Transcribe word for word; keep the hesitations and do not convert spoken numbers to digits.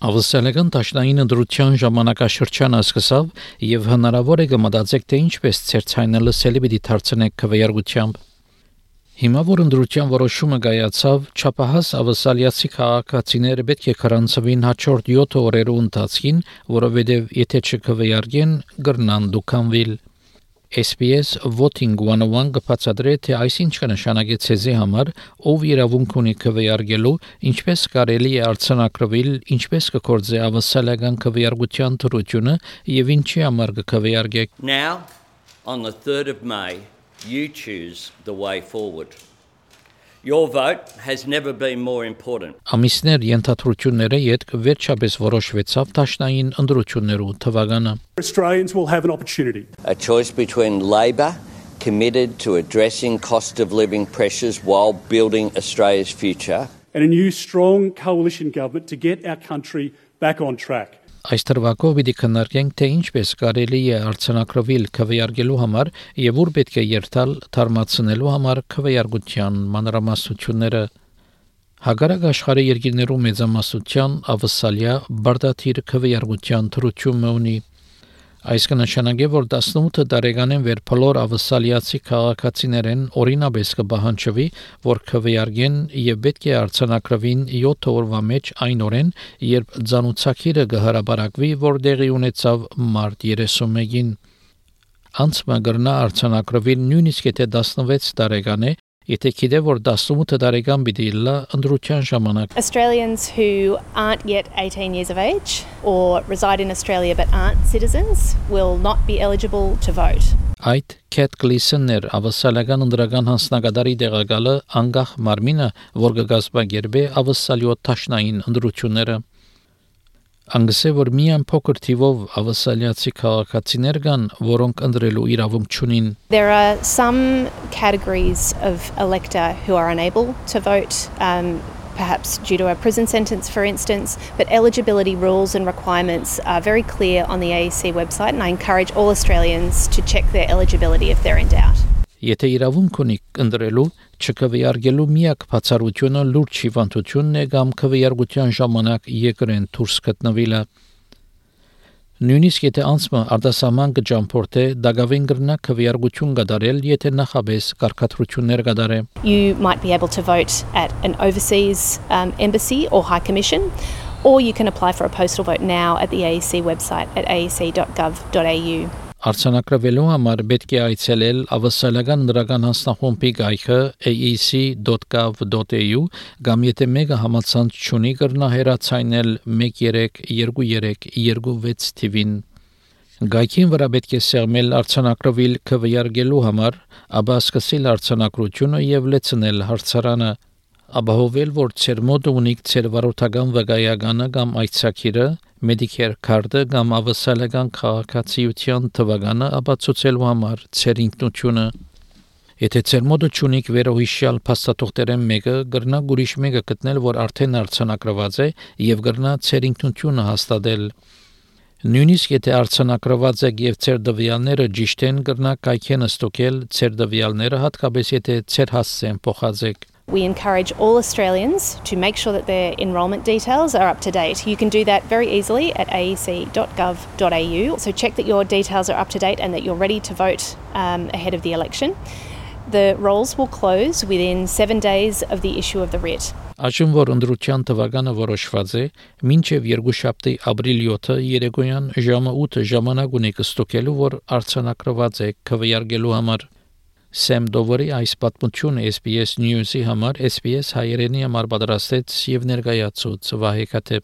Ավսալական տաշնային ընդրության ժամանակաշրջանը սկսավ եւ հնարավոր է գմտածեք թե ինչպես ցերցայնելը սելիբիդի դարձնեք քվեարկությամբ։ Հիմա որ ընդրության որոշումը կայացավ, չափահաս ավսալիացի քաղաքացիները պետք է քրանցվին հաջորդ յոթ օրերու ընթացքին, որովհետեւ եթե չքվեարկեն, կգրնան դուքանվիլ։ S B S Voting one oh one կբացատրի, թե այսինչ կնշանակի ցեզի համար, ով իրավունք ունի քվեարկելու, ինչպես կարելի է արձանագրվել, ինչպես կկործե ավսալական քվեարկության թրությունը եւ ինչի համար կքվեարկեք։ Now, on the third of May, you choose the way forward. Your vote has never been more important. Ամիսներ ենթադրությունները յետք վերջապես որոշվեցավ տաշնային ընդրություններու թվականը։ Australians will have an opportunity. A choice between Labor, committed to addressing cost of living pressures while building Australia's future, and a new strong coalition government to get our country back on track. Այս թվակով պիտի քննարկենք, թե ինչպես կարելի է արձանագրվել քվեարկելու համար եւ ուր պետք է երթալ թարմացնելու համար քվեարկության մանրամասնությունները։ Հակառակ աշխարհի երկրներու մեծամասնության ավսալիա բարդաթիր քվեարկության թրությունը ունի։ Այս կնշանակի, որ տասնութ տարեկանեն վեր բոլոր ավսալիացի քաղաքացիներեն օրինաբես կպահանջվի, որ քվեարկեն եւ պետք է արձանագրվին յոթ օրվա մեջ այն օրեն, երբ ցանուցակիրը կհրապարակվի, որ դեղի ունեցավ մարտ երեսունմեկին։ Անցմա գրնա արձանագրվել նույնիսկ եթե տասնվեց տարեկան է, եթե գիտե որ տասնութ տարեկան պիտի լա ընդրության ժամանակ։ Australians who aren't yet eighteen years of age or reside in Australia but aren't citizens will not be eligible to vote. Այդ Cat Gleason-ներ ավսալական ընդրական հանձնագետարի դեղակալը անգախ մարմինը, որ կգազմագերբե ավսալիո տաշնային ընդրությունները։ Անգսե որ միայն փոքր թիվով ավսալիացի քաղաքացիներ կան, որոնք ընդրելու իրավունք չունին։ There are some categories of elector who are unable to vote, um, perhaps due to a prison sentence, for instance, but eligibility rules and requirements are very clear on the A E C website, and I encourage all Australians to check their eligibility if they're in doubt. Եթե իրավունք ունիք ընդրելու, չքվեարկելու միակ բացառությունը լուրջ հիվանդությունն է կամ քվեարկության ժամանակ եկրեն դուրս գտնվելը։ Նույնիսկ եթե անցումը արտասահման կճամփորդե, դակավին կրնա քվեարկություն կդարել, եթե նախաբես կարգադրություններ կդարե։ You might be able to vote at an overseas um, embassy or high commission, or you can apply for a postal vote now at the A E C website at a e c dot gov dot a u. Արձանագրվելու համար պետք է այցելել ավսալական ընդրական հանձնախումբի գայքը a e c dot gov dot a u կամ եթե մեկը համացանց չունի կրնա հեռացայնել one three two three two six թիվին։ Գայքին վրա պետք է սեղմել արձանագրվել քվեարկելու համար, ապա սկսել արձանագրությունը եւ լեցնել հարցարանը։ Ապահովել, որ ցեր մոտ ունիք ցեր վարորդական վկայականը կամ այցակիրը, Medicare card-ը կամ ավսալական քաղաքացիության թվականը ապացուցելու համար ցեր ինքնությունը։ Եթե ցեր մոտ չունիք վերոհիշյալ փաստաթղթերեն մեկը, կրնա ուրիշ մեկը գտնել, որ արդեն արձանագրված է եւ կրնա ցեր ինքնությունը հաստատել։ Նույնիսկ եթե արձանագրված եք եւ ցեր դվյալները ճիշտ են, կրնա կայքեն ստոկել ցեր դվյալները, հատկապես եթե ցեր հասցեն փոխածեք։ We encourage all Australians to make sure that their enrolment details are up to date. You can do that very easily at a e c dot gov dot a u. So check that your details are up to date and that you're ready to vote um, ahead of the election. The rolls will close within seven days of the issue of the writ. Այժմ որ ընդրության թվականը որոշված է, մինչև երկուշաբթի ապրիլի յոթը երեկոյան ժամը ութը ժամանակ ունեք ստոկելու, որ արձանագրված է քվեարկելու համար։ Sam Doveri այս պատմությունը S B S News-ի համար S B S հայերենի համար պատրաստեց եւ ներկայացուց Վահե Քաթեփ։